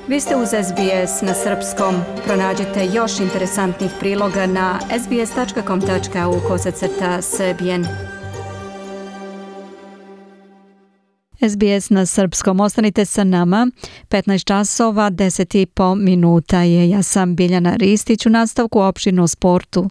Vi ste uz SBS na srpskom. Pronađite još interesantnih priloga na sbs.com.au/srbijen. SBS na srpskom. Ostanite sa nama. 15 časova, 10,5 minuta je. Ja sam Biljana Ristić u nastavku opširno sportu.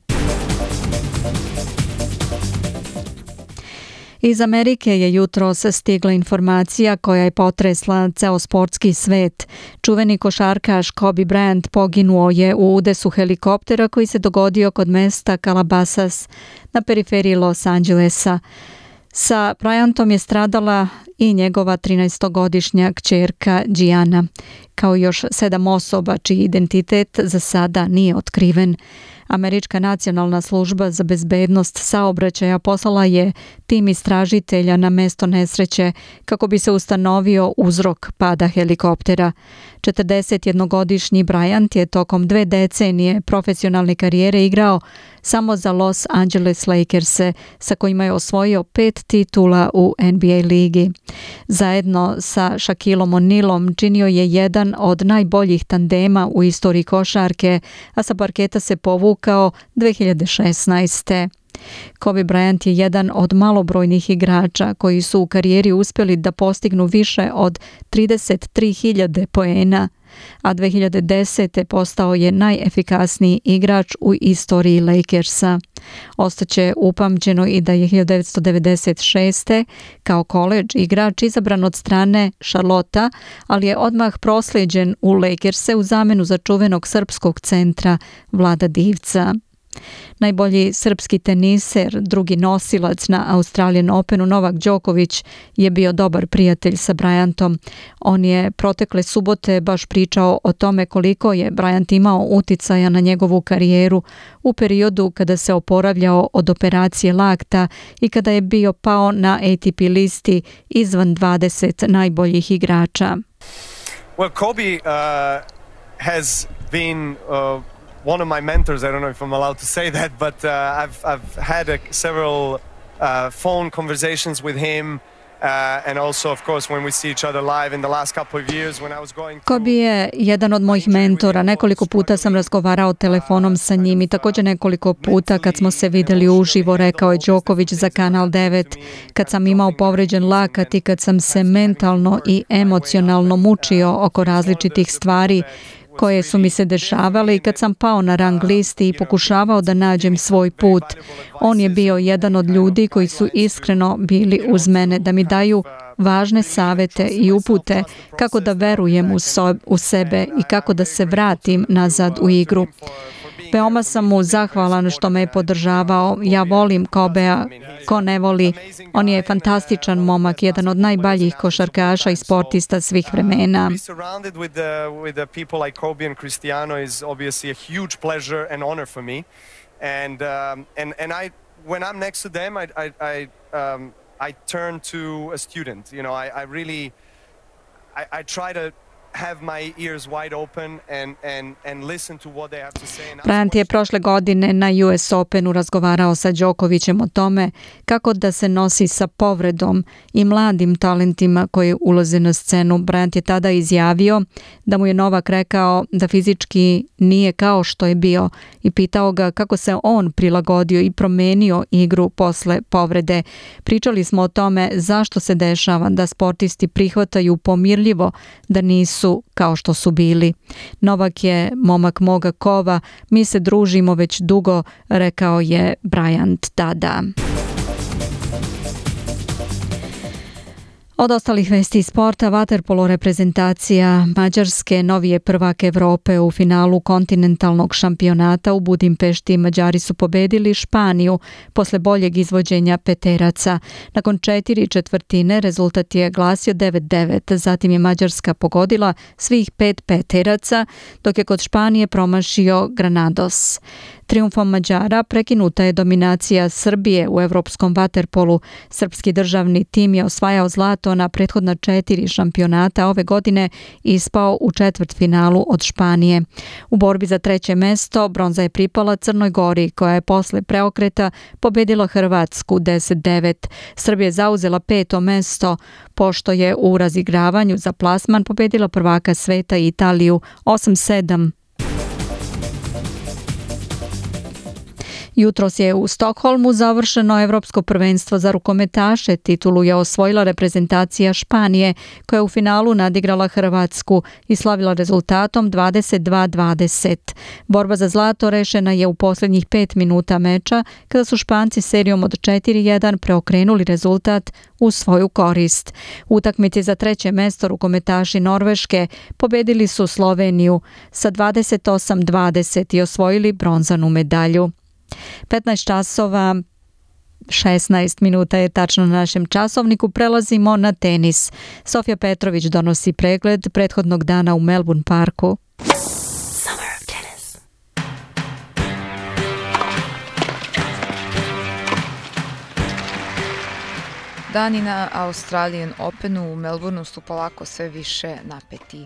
Iz Amerike je jutros stigla informacija koja je potresla ceo sportski svet. Čuveni košarkaš Kobe Bryant poginuo je u udesu helikoptera koji se dogodio kod mesta Calabasas na periferiji Los Angelesa. Sa Bryantom je stradala i njegova 13-godišnja kćerka Gianna, kao još 7 osoba čiji identitet za sada nije otkriven. Američka nacionalna služba za bezbednost saobraćaja poslala je tim istražitelja na mesto nesreće kako bi se ustanovio uzrok pada helikoptera. 41-godišnji Bryant je tokom 2 decenije profesionalne karijere igrao samo za Los Angeles Lakers-e, sa kojima je osvojio 5 titula u NBA ligi. Zajedno sa Shaquillom O'Nealom činio je jedan od najboljih tandema u istoriji košarke, a sa parketa se povukao 2016. Kobe Bryant je jedan od malobrojnih igrača koji su u karijeri uspjeli da postignu više od 33.000 poena, a 2010. postao je najefikasniji igrač u istoriji Lakersa. Ostaće upamćeno i da je 1996. kao koledž igrač izabran od strane Charlotta, ali je odmah proslijeđen u Lakerse u zamenu za čuvenog srpskog centra Vlada Divca. Najbolji srpski teniser, drugi nosilac na Australian Openu Novak Đoković je bio dobar prijatelj sa Bryantom. On je protekle subote baš pričao o tome koliko je Bryant imao uticaja na njegovu karijeru u periodu kada se oporavljao od operacije lakta i kada je bio pao na ATP listi izvan 20 najboljih igrača. Well, Kobe has been one of my mentors. I don't know if I'm allowed to say that, but I've had several phone conversations with him. And also, of course, when we see each other live in the last couple of years when I was going through... Kobe je jedan od mojih mentora. Nekoliko puta sam razgovarao telefonom sa njim i također nekoliko puta kad smo se vidjeli uživo, rekao je Đoković za Kanal 9. Kad sam imao povređen lakat i kad sam se mentalno i emocionalno mučio oko različitih stvari koje su mi se dešavale i kad sam pao na rang listi i pokušavao da nađem svoj put. On je bio jedan od ljudi koji su iskreno bili uz mene da mi daju važne savete i upute kako da verujem u sebe i kako da se vratim nazad u igru. Veoma sam mu zahvalan što me je podržavao. Ja volim Kobea, ko ne voli. On je fantastičan momak, jedan od najboljih košarkaša i sportista svih vremena. Bryant je prošle godine na US Openu razgovarao sa Đokovićem o tome kako da se nosi sa povredom i mladim talentima koji ulaze na scenu. Bryant je tada izjavio da mu je Novak rekao da fizički nije kao što je bio i pitao ga kako se on prilagodio i promenio igru posle povrede. Pričali smo o tome zašto se dešava da sportisti prihvataju pomirljivo da nisu kao što su bili. Novak je momak moga kova, mi se družimo već dugo, rekao je Bryant tada. Od ostalih vesti iz sporta, vaterpolo reprezentacija Mađarske novi je prvak Evrope u finalu kontinentalnog šampionata u Budimpešti. Mađari su pobedili Španiju posle boljeg izvođenja peteraca. Nakon 4/4 rezultat je glasio 9-9. Zatim je Mađarska pogodila svih 5 peteraca, dok je kod Španije promašio Granados. Trijumfom Mađara prekinuta je dominacija Srbije u evropskom vaterpolu. Srpski državni tim je osvajao zlato na prethodna 4 šampionata ove godine i ispao u četvrtfinalu od Španije. U borbi za 3. mesto bronza je pripala Crnoj Gori, koja je posle preokreta pobedila Hrvatsku 10-9. Srbija je zauzela 5. mesto, pošto je u razigravanju za plasman pobedila prvaka sveta Italiju 8-7. Jutros je u Stokholmu završeno Evropsko prvenstvo za rukometaše. Titulu je osvojila reprezentacija Španije, koja je u finalu nadigrala Hrvatsku i slavila rezultatom 22-20. Borba za zlato rešena je u posljednjih 5 minuta meča, kada su Španci serijom od 4-1 preokrenuli rezultat u svoju korist. U utakmici za 3. mesto rukometaši Norveške pobedili su Sloveniju sa 28-20 i osvojili bronzanu medalju. 15 časova 16 minuta je tačno na našem časovniku. Prelazimo na tenis. Sofija Petrović donosi pregled prethodnog dana u Melbourne parku. Dani na Australian Openu u Melbourneu su polako sve više napeti.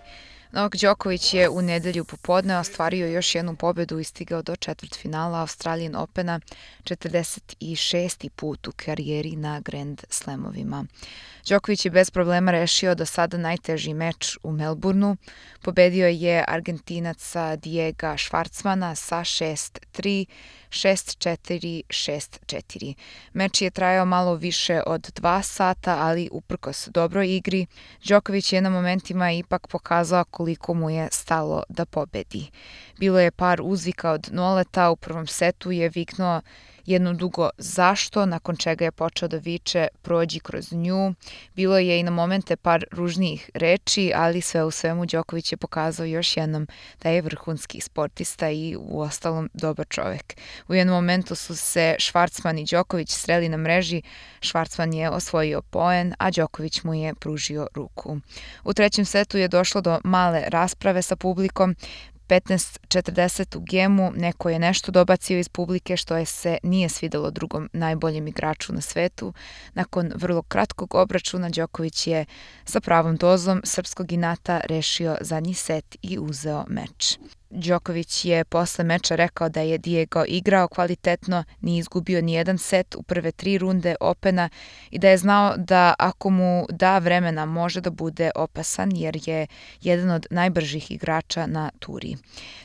Novak Đoković je u nedelju popodne ostvario još jednu pobedu i stigao do četvrtfinala Australian Opena, 46. put u karijeri na Grand Slamovima. Đoković je bez problema rešio do sada najteži meč u Melbourneu. Pobedio je Argentinaca Diega Schwartzmana sa 6-3, 6-4, 6-4. Meč je trajao malo više od 2 sata, ali uprkos dobroj igri, Đoković je na momentima ipak pokazao koliko mu je stalo da pobedi. Bilo je par uzvika od Noleta, u prvom setu je viknuo jedno dugo zašto, nakon čega je počeo da viče prođi kroz nju. Bilo je i na momente par ružnijih reči, ali sve u svemu Đoković je pokazao još jednom da je vrhunski sportista i uostalom dobar čovek. U jednom momentu su se Schwartzman i Đoković sreli na mreži. Schwartzman je osvojio poen, a Đoković mu je pružio ruku. U 3. setu je došlo do male rasprave sa publikom. 15:40 u gemu, neko je nešto dobacio iz publike što je se nije svidelo drugom najboljem igraču na svetu. Nakon vrlo kratkog obračuna Đoković je sa pravom dozom srpskog inata rešio zadnji set i uzeo meč. Đoković je posle meča rekao da je Diego igrao kvalitetno, nije izgubio ni jedan set u prve 3 runde Opena i da je znao da ako mu da vremena može da bude opasan jer je jedan od najbržih igrača na turi.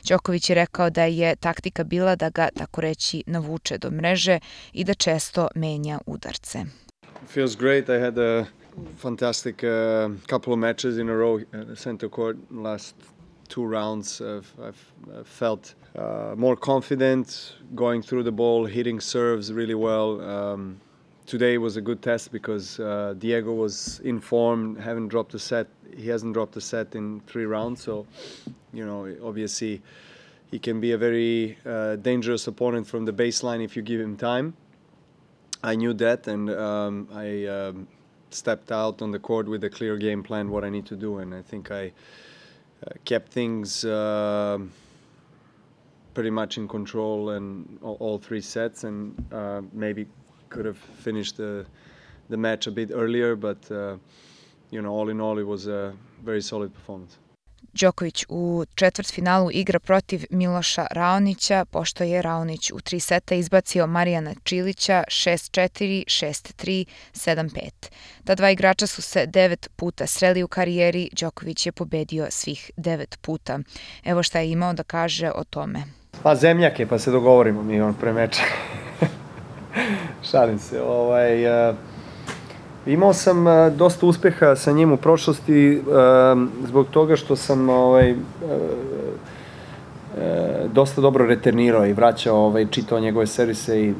Đoković je rekao da je taktika bila da ga, tako reći, navuče do mreže i da često menja udarce. Feels great. I had a fantastic couple of matches in a row at the center court last 2 rounds. I've felt more confident going through the ball, hitting serves really well. Today was a good test because Diego was in form, haven't dropped a set. He hasn't dropped a set in 3 rounds, so obviously he can be a very dangerous opponent from the baseline if you give him time. I knew that, and I stepped out on the court with a clear game plan what I need to do, and I think I kept things pretty much in control and all 3 sets, and maybe could have finished the match a bit earlier, but all in all it was a very solid performance. Đoković u četvrtfinalu igra protiv Miloša Raonića, pošto je Raonić u 3 seta izbacio Marijana Čilića 6-4, 6-3, 7-5. Ta 2 igrača su se 9 puta sreli u karijeri, Đoković je pobedio svih 9 puta. Evo šta je imao da kaže o tome. Pa zemljak je, pa se dogovorimo mi pre meča. Šalim se. Imao sam dosta uspeha sa njim u prošlosti zbog toga što sam dosta dobro returnirao i vraćao, čitao njegove servise i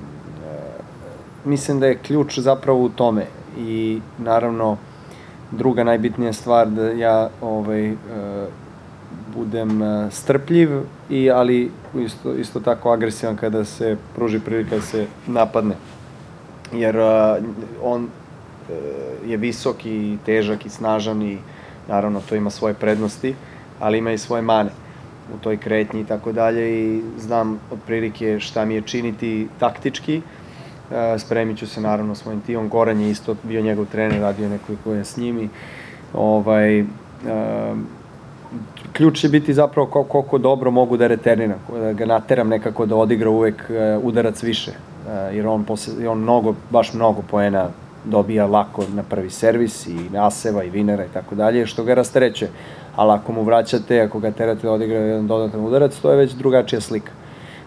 mislim da je ključ zapravo u tome. I naravno druga najbitnija stvar da ja budem strpljiv, ali isto tako agresivan kada se pruži prilika da se napadne. Jer on je visok i težak i snažan i naravno to ima svoje prednosti, ali ima i svoje mane. u toj kretnji i tako dalje i znam otprilike šta mi je činiti taktički. Spremit ću se naravno s mojim timom. Goran je isto bio njegov trener, radio nekoliko je s njimi. Ključ će biti zapravo koliko dobro mogu da reterniram, da ga nateram nekako da odigra uvek udarac više, jer on baš mnogo poena dobija lako na prvi servis i aseva i vinera i tako dalje, što ga rastereće. Ali ako mu vraćate, ako ga terate da odigra jedan dodatan udarac, to je već drugačija slika.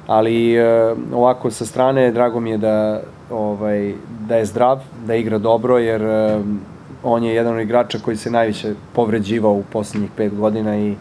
Ali ovako sa strane drago mi je da je zdrav, da igra dobro, jer on je jedan od igrača koji se najviše povređivao u poslednjih 5 godina i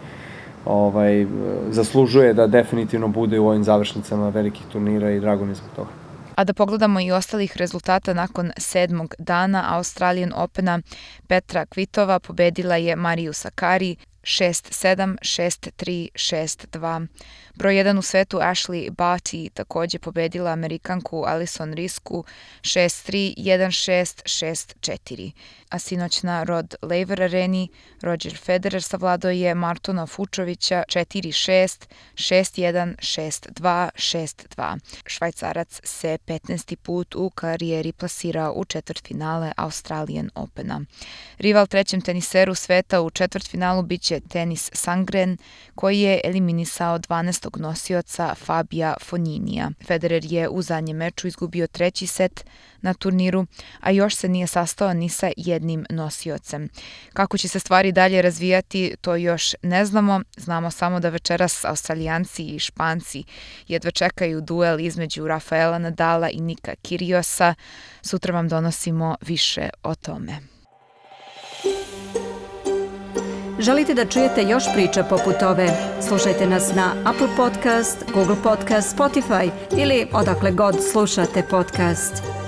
zaslužuje da definitivno bude u ovim završnicama velikih turnira i drago mi je zbog toga. A da pogledamo i ostalih rezultata nakon 7. dana Australian Opena, Petra Kvitova pobedila je Mariju Sakkari 6-7, 6-3, 6-2. Broj 1 u svetu Ashley Barty takođe pobedila Amerikanku Alison Risku 6-3, 1-6, 6-4. A sinoć na Rod Laver Areni Roger Federer savladao je Martona Fučovića 4-6, 6-1, 6-2, 6-2. Švajcarac se 15. put u karijeri plasirao u četvrtfinale Australian Opena. Rival trećem teniseru sveta u četvrtfinalu biće Denis Sandgren, koji je eliminisao 12. nosioca Fabija Fogninija. Federer je u zadnjem meču izgubio 3. set na turniru, a još se nije sastao ni sa jednim nosiocem. Kako će se stvari dalje razvijati, to još ne znamo. Znamo samo da večeras Australijanci i Španci jedva čekaju duel između Rafaela Nadala i Nika Kyrgiosa. Sutra vam donosimo više o tome. Želite da čujete još priča poput ove? Slušajte nas na Apple Podcast, Google Podcast, Spotify ili odakle god slušate podcast.